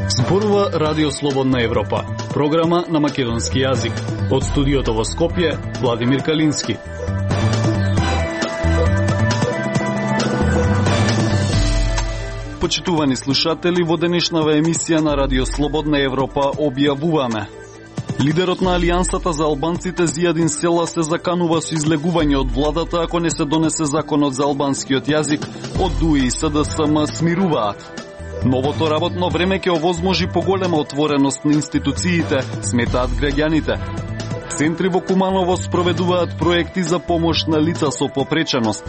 Зборува Радио Слободна Европа, програма на македонски јазик. Од студиото во Скопје, Владимир Калински. Почитувани слушатели, во денешнава емисија на Радио Слободна Европа објавуваме: лидерот на Алијансата за албанците Зијадин Села се заканува со излегување од владата ако не се донесе законот за албанскиот јазик. Од ДУИ и СДСМ смируваат. Новото работно време ќе овозможи поголема отвореност на институциите, сметаат граѓаните. Центри во Куманово спроведуваат проекти за помош на лица со попреченост.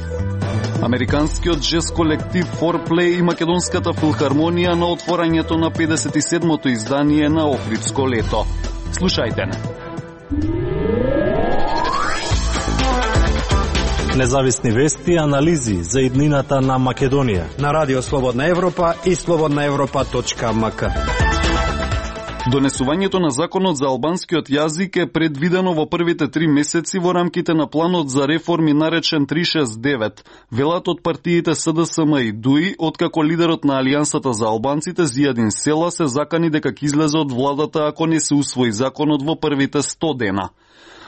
Американскиот джез колектив Foreplay и Македонската филхармонија на отворањето на 57-то издание на Охридско лето. Слушајте не. Независни вести и анализи за иднината на Македонија на Радио Слободна Европа и slobodnaevropa.mk. Донесувањето на законот за албанскиот јазик е предвидено во првите 3 месеци во рамките на планот за реформи наречен 369, велат од партиите СДСМ и ДУИ, откако лидерот на Алијансата за албанците Зијадин Села се закани дека ќе излезе од владата ако не се усвои законот во првите 100 дена.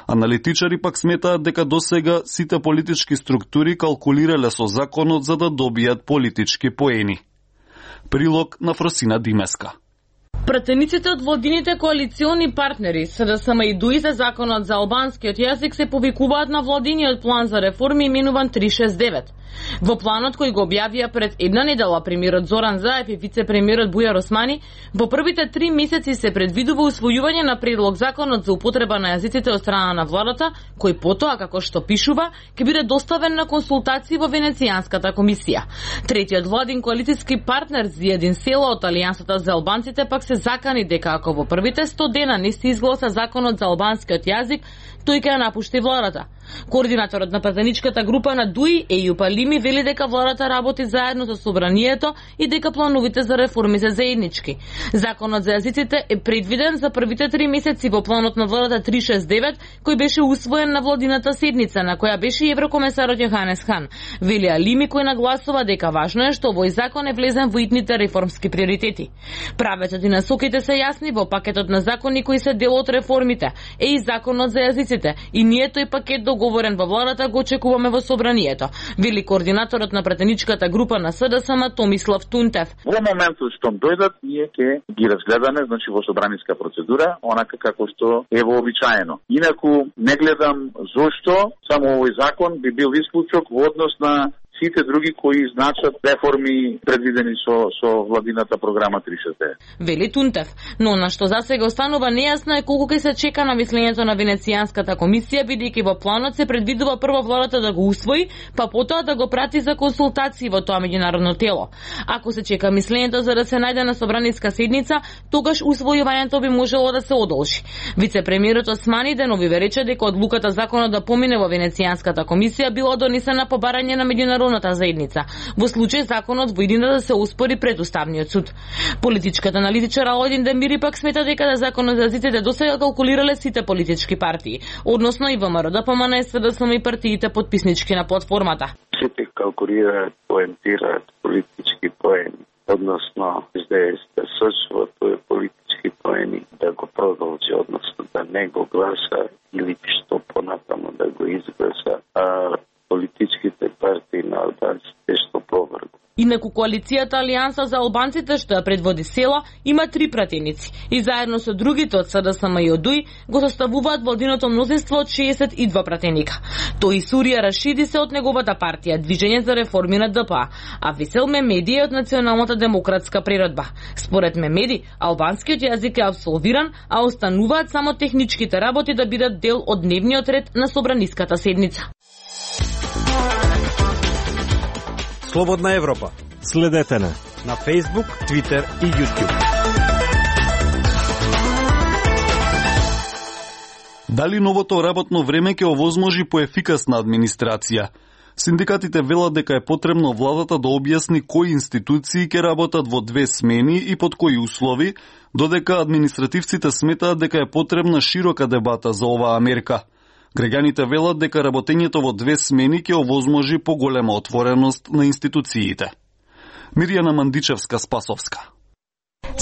Аналитичари пак сметаат дека досега сите политички структури калкулирале со законот за да добијат политички поени. Прилог на Фросина Димеска. Пратениците од владините коалициони партнери СДСМ и ДУИ за законот за албанскиот јазик се повикуваат на владиниот план за реформи именуван 369. Во планот кој го објавија пред една недела премиерот Зоран Заев и вице-премиерот Бујар Османи, во првите 3 месеци се предвидува усвојување на предлог законот за употреба на јазиците од страна на владата, кој потоа, како што пишува, ќе биде доставен на консултации во Венецијанската комисија. Третиот владин коалициски партнер Зијадин Села од Алијансата за албанците пак се закани дека ако во првите 100 дена не се изгласа законот за албанскиот јазик, тој ќе ја напушти владата. Координаторот на пратеничката група на ДУИ, Ејуп Алими, вели дека владата работи заедно со собранието и дека плановите за реформи се заеднички. Законот за јазиците е предвиден за првите 3 месеци во планот на владата 369, кој беше усвоен на владината седница, на која беше и еврокомесарот Јоханес Хан. Вели Алими, кој нагласува дека важно е што овој закон е влезен во итните реформски приоритети. Правецот и насоките се јасни во пакетот на закони кои се дел од реформите, е и законот за јазиците, и ние тој пакет договорен во владата го очекуваме во собранието, вели координаторот на пратеничката група на СДСМ Томислав Тунтев. Во моментот што дојдат, ние ќе ги разгледаме, значи во собраниска процедура, онака како што е вообичаено. Инаку не гледам зошто само овој закон би бил исклучок во однос на сите други кои значат реформи предвидени со владината програма 369. Вели Тунтев, но на што засега останува нејасно е колку ќе се чека на мислењето на Венецијанската комисија, бидејќи во планот се предвидува прво владата да го усвои, па потоа да го прати за консултации во тоа меѓународно тело. Ако се чека мислењето за да се најде на собраниска седница, тогаш усвојувањето би можело да се одолжи. Вице-премиерот Османи деновиве рече дека одлуката законот да помине во Венецијанската комисија била донесена по барање на меѓународната заедница. Во случај законот во иднина да се успори пред Уставниот суд. Политичката аналитичар Алојдин Демири пак смета дека да законот за јазиците досега калкулирале сите политички партии, односно и ВМРО, ДПМН, СДСМ и партиите потписнички на платформата. Сите калкулираат, поентираат политички поени, односно да сочува тој политички поени да го продолжи, односно да не го гласа или што понатаму да го изгласа, а политичките партии на албанците што повргу. Инаку коалицијата Алијанса за албанците, што ја предводи Села, има 3 пратеници и заедно со другите од СДСМ и од ДУИ го составуваат владиното мнозинство од 62 пратеника. Тој Сурија Рашиди се од неговата партија Движење за реформи на ДПА, а Весел Мемеди е од Националната демократска природба. Според Мемеди, албанскиот јазик е абсолвиран, а остануваат само техничките работи да бидат дел од дневниот ред на собраниската седница. Слободна Европа. Следете на Facebook, Twitter и YouTube. Дали новото работно време ќе овозможи поефикасна администрација? Синдикатите велат дека е потребно владата да објасни кои институции ќе работат во 2 смени и под кои услови, додека административците сметаат дека е потребна широка дебата за оваа мерка. Граѓаните велат дека работењето во 2 смени ќе овозможи поголема отвореност на институциите. Мирјана Мандичевска-Спасовска.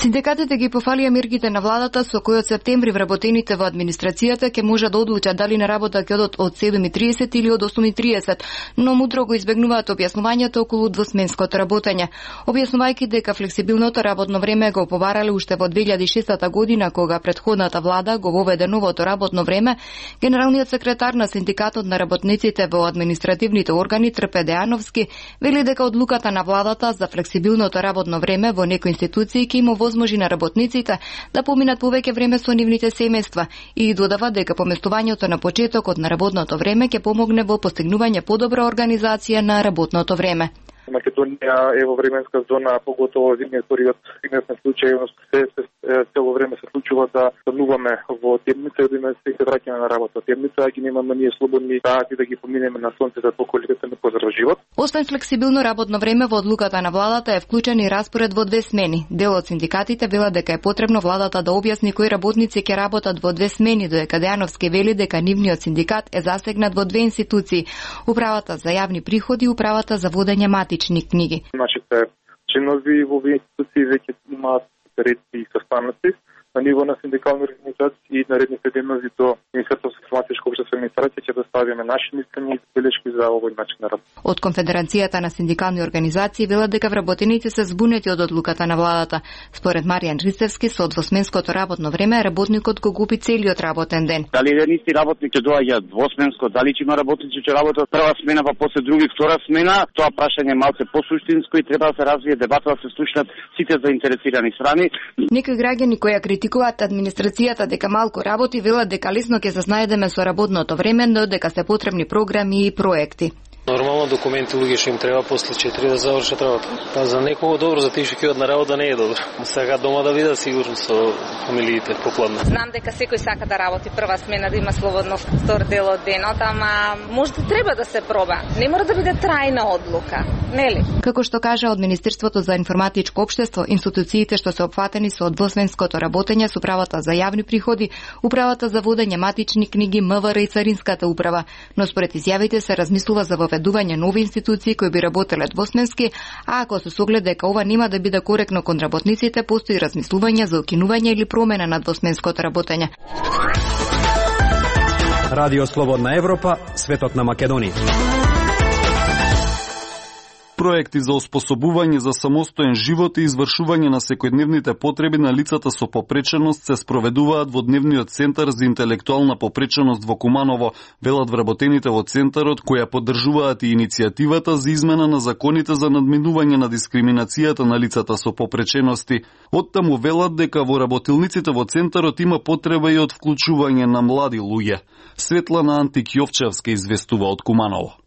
Синдикатите ги пофалија мерките на владата со кои од септември вработените во администрацијата ќе може да одлучат дали на работа ќе одат од 7:30 или од 8:30, но мудро го избегнуваат објаснувањето околу двосменското работење. Објаснувајќи дека флексибилното работно време го побарале уште во 2006 година, кога претходната влада го воведе новото работно време, генералниот секретар на Синдикатот на работниците во административните органи Трпе Дејановски вели дека одлуката на владата за флексибилното работно време во некои институции ќе им овозможи на работниците да поминат повеќе време со нивните семејства и додава дека поместувањето на почетокот на работното време ќе помогне во постигнување подобра организација на работното време. Македонија е во временска зона, поготово зимниот период, на случај, цело време се случува да стануваме во темница и да се враќаме на работа темница, а ги немаме ние слободни да ги поминеме на сонцето поколку не поздрав живот. Освен флексибилно работно време, во одлуката на владата е вклучен и распоред во 2 смени. Дел од синдикатите велат дека е потребно владата да објасни кои работници ќе работат во 2 смени, додека Дејановски вели дека нивниот синдикат е засегнат во 2 институции: Управата за јавни приходи и Управата за водење матични книги. Нашите чинови во овие институции веќе имаат редки и состаноци на ниво на синдикални организации и наредните денови до Министерството за информатичко општество и администрација ќе доставиме наши мислења и белешки за овој начин на работа. Од Конфедерацијата на синдикални организации велат дека вработените се збунети од одлуката на владата. Според Маријан Ристевски, со двосменското работно време работникот го губи целиот работен ден. Дали еден исти работник ќе доаѓа двосменско, дали ќе има работници ќе работат прва смена па после други втора смена, тоа прашање малце посуштинско и треба да се развие дебата, да се слушнат сите заинтересирани страни. Некои граѓани кои критикуваат администрацијата дека малку работи, велат дека лесно ќе се снајдеме со работното време, но дека се потребни програми и проекти. Нормално документи луѓе што им треба после 4 да завршат работа. Па за некого добро, за тие што ќе одат на работа не е добро. Сега дома да видат сигурно со фамилиите попладне. Знам дека секој сака да работи прва смена, да има слободно втор дел од денот, ама можда треба да се проба. Не мора да биде трајна одлука, нели? Како што кажа од Министерството за информатичко општество, институциите што се опфатени со двосменското работење со Управата за јавни приходи, Управата за водење матични книги, МВР и Царинската управа, но според изјавите се размислува за воведување нови институции кои би работеле двосменски, а ако се соглед дека ова нема да биде коректно кон работниците, постои размислување за укинување или промена на двосменското работење. Радио Слободна Европа, светот на Македонија. Проекти за оспособување за самостоен живот и извршување на секојдневните потреби на лицата со попреченост се спроведуваат во Дневниот центар за интелектуална попреченост во Куманово, велат вработените во центарот, која поддржуваат и иницијативата за измена на законите за надминување на дискриминацијата на лицата со попречености. Оттаму велат дека во работилниците во центарот има потреба и од вклучување на млади луѓе. Светлана Антик-Јовчевска известува од Куманово.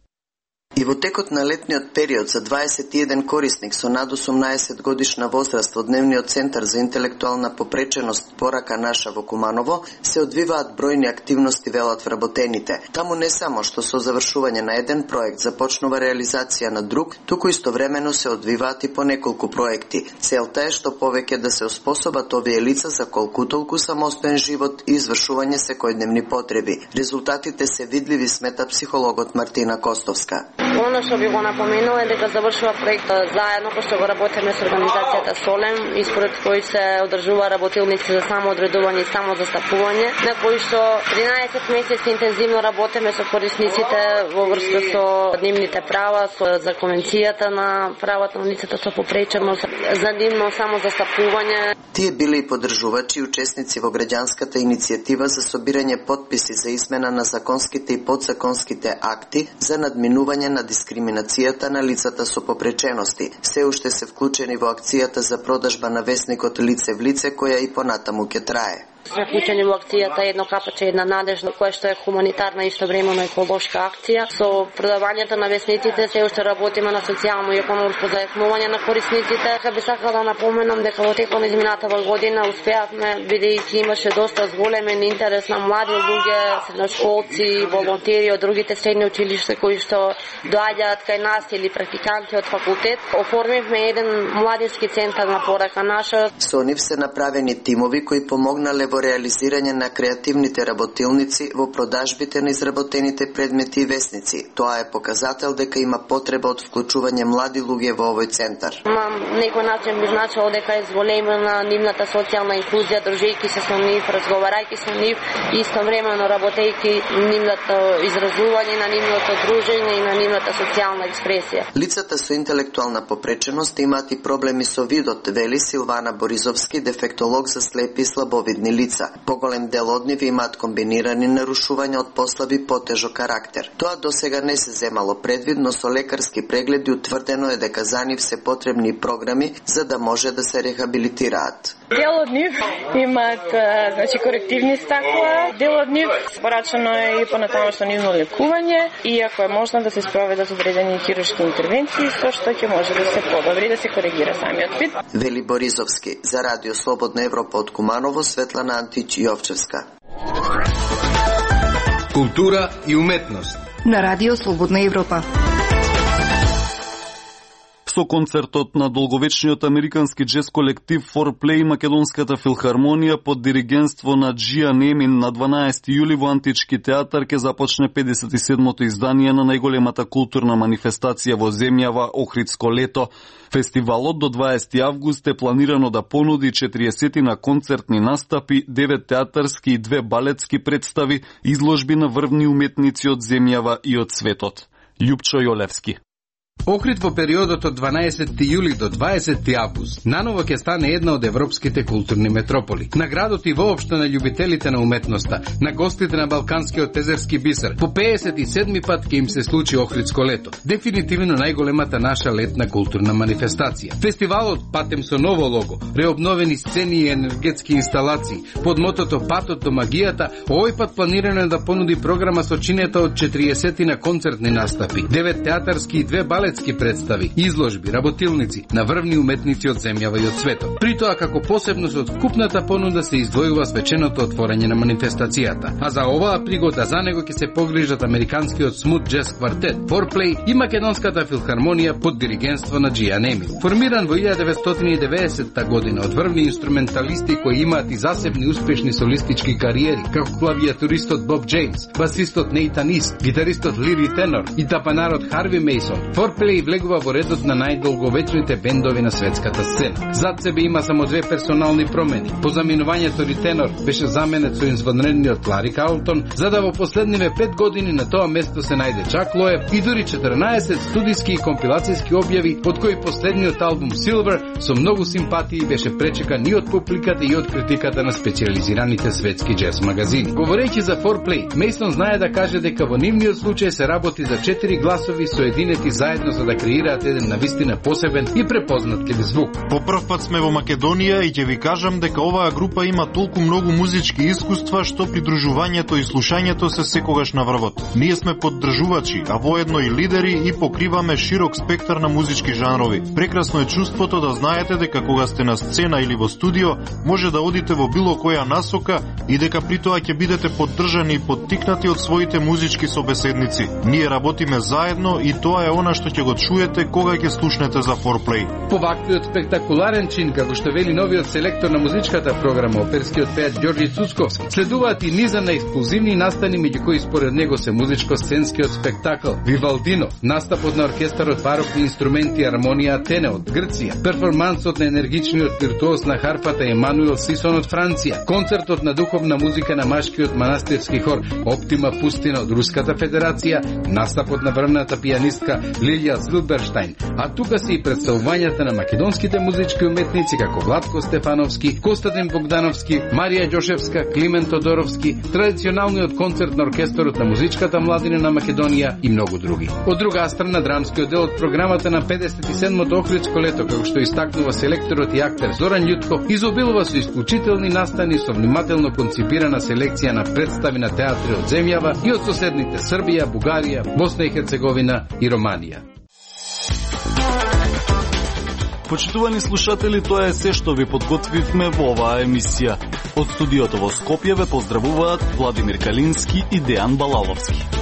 И во текот на летниот период за 21 корисник со над 18 годишна возраст во Дневниот центар за интелектуална попреченост Порака наша во Куманово се одвиваат бројни активности, велат вработените. Таму не само што со завршување на еден проект започнува реализација на друг, туку истовремено се одвиваат и по неколку проекти. Целта е што повеќе да се оспособат овие лица за колку толку самостоен живот и извршување секојдневни потреби. Резултатите се видливи, смета психологот Мартина Костовска. Оно што би го напоменува е дека завршува проект заедно кој што го работиме со организацијата Солем, и според кој се одржува работилници за самоодредување и самозастапување, на кој што 13 месеци интензивно работиме со корисниците во врска со нивните права, за конвенцијата на правата на лицата со попреченост, за нивно самозастапување. Тие биле и поддржувачи и учесници во граѓанската иницијатива за собирање подписи за измена на законските и подзаконските акти за надминување на дискриминацијата на лицата со попречености. Се уште се вклучени во акцијата за продажба на весникот Лице в лице, која и понатаму ќе трае. Сме вклучени во акцијата Едно капаче, една надежда, која што е хуманитарна и истовремено еколошка акција. Со продавањето на весниците се уште работиме на социјално и економско зајакнување на корисниците. Би сакала да напоменам дека во текот на изминатава година успеавме, бидејќи имаше доста зголемен интерес на млади луѓе, средношколци, волонтери од другите средни училишта кои што доаѓаат кај нас или практиканти од факултет. Оформивме еден младински центар на Порака наша. Со нив се направени тимови кои помогнале во во реализирање на креативните работилници во продажбите на изработените предмети и весници. Тоа е показател дека има потреба од вклучување млади луѓе во овој центар. На некој начин би значило дека е зголемена нивната социјална инклузија, дружејќи се со нив, разговарајќи со нив и истовремено работејќи нивното изразување на нивното дружење и на нивната социјална експресија. Лицата со интелектуална попреченост имаат и проблеми со видот, вели Силвана Боризовски, дефектолог за слепи и слабовидни лица. Поголем дел од нив имаат комбинирани нарушувања од послаб и потежок карактер. Тоа досега не се земало предвид, но со лекарски прегледи утврдено е дека за нив се потребни програми за да може да се рехабилитираат. Дел од нив имаат корективни стакла, дел од нив порачано е и понатамошно нивно лекување, иако е можно да се спроведат одредени хируршки интервенции, со што ќе може да се подобри, да се коригира самиот вид. Вели Боризовски, за Радио Слободна Европа од Куманово, Светлана Антич Јовчевска. Култура и уметност на Радио Слободна Европа. Со концертот на долговечниот американски джез колектив 4Play Македонската филхармонија под диригентство на Джиан Емин на 12 јули во Антички театар ќе започне 57-то издание на најголемата културна манифестација во земјава Охридско лето. Фестивалот до 20 август е планирано да понуди 40 на концертни настапи, 9 театарски и 2 балетски представи, изложби на врвни уметници од земјава и од светот. Љупчо Јолевски. Охрид во периодот од 12 јули до 20 август наново ќе стане една од европските културни метрополи. На градот и воопшто на љубителите на уметноста, на гостите на Балканскиот езерски бисер, по 57-ми пат ќе им се случи Охридско лето. Дефинитивно најголемата наша летна културна манифестација. Фестивалот патем со ново лого, реобновени сцени и енергетски инсталации, под мотото Патот до магијата, овој пат планирано да понуди програма со чинета од 40 на концертни настапи, 9 театарски и 2 балетски представи, изложби, работилници на врвни уметници од земјава и од светот. При тоа како посебност од вкупната понуда се издвојува свеченото отворање на манифестацијата. А за оваа пригода за него ќе се погрижат американскиот смут джез квартет 4Play и Македонската филхармонија под диригентство на Джиан Емин. Формиран во 1990 година од врвни инструменталисти кои имаат и засебни успешни солистички кариери, како клавиатуристот Боб Джеймс, басистот Нейтан Ист, гитаристот Лири Тенор и тапанарот Харви Мейсон. 4Play влегува во редот на најдолговечните бендови на светската сцена. Зад себе има само 2 персонални промени. По заминувањето Ритенор беше заменет со извонредниот Лари Каултон, за да во последниве 5 години на тоа место се најде Чак Лоев и дури 14 студиски и компилацијски објави, од кои последниот албум Silver со многу симпатии беше пречекан и од публиката и од критиката на специјализираните светски джез магазини. Говорејќи за 4Play, Мейсон знае да каже дека во нивниот случај се работи за 4 гласови соединети заедно за да креираат еден навистина посебен и препознатлив звук. По прв пат сме во Македонија и ќе ви кажам дека оваа група има толку многу музички искуства што придружувањето и слушањето се секогаш на врвот. Ние сме поддржувачи, а воедно и лидери и покриваме широк спектар на музички жанрови. Прекрасно е чувството да знаете дека кога сте на сцена или во студио, може да одите во било која насока и дека при тоа ќе бидете поддржани и поттикнати од своите музички собеседници. Ние работиме заедно и тоа е она што ќе го чуете кога ќе слушнете за 4Play. По ваквиот спектакуларен чин, како што вели новиот селектор на музичката програма, оперскиот пејач Ѓорѓи Цуцковски, следуваат и низа на ексклузивни настани, меѓу кои според него се музичко-сценскиот спектакл Вивалдино, настапот на оркестарот барокни инструменти Армонија Атене од Грција, перформансот на енергичниот виртуоз на харпата Емануел Сисон од Франција, концертот на духовна музика на машкиот манастирски хор Оптима Пустина од Руската Федерација, настапот на врвната пијанистка Лилија Зилберштајн, а тука се и представувањата на македонските музички уметници како Владко Стефановски, Костадин Богдановски, Марија Ѓошевска, Климент Тодоровски, традиционалниот концерт на оркесторот на музичката младина на Македонија и многу други. Од друга страна, драмскиот дел од програмата на 57-то Охридско лето, како што истакнува селекторот и актер Зоран Љутко, изобилува со исклучителни настани со внимателно конципирана селекција на представи на театри од земјава и од соседните Србија, Бугарија, Босна и Херцеговина и Романија. Почитувани слушатели, тоа е се што ви подготвивме во оваа емисија. Од студиото во Скопје ве поздравуваат Владимир Калински и Дејан Балаловски.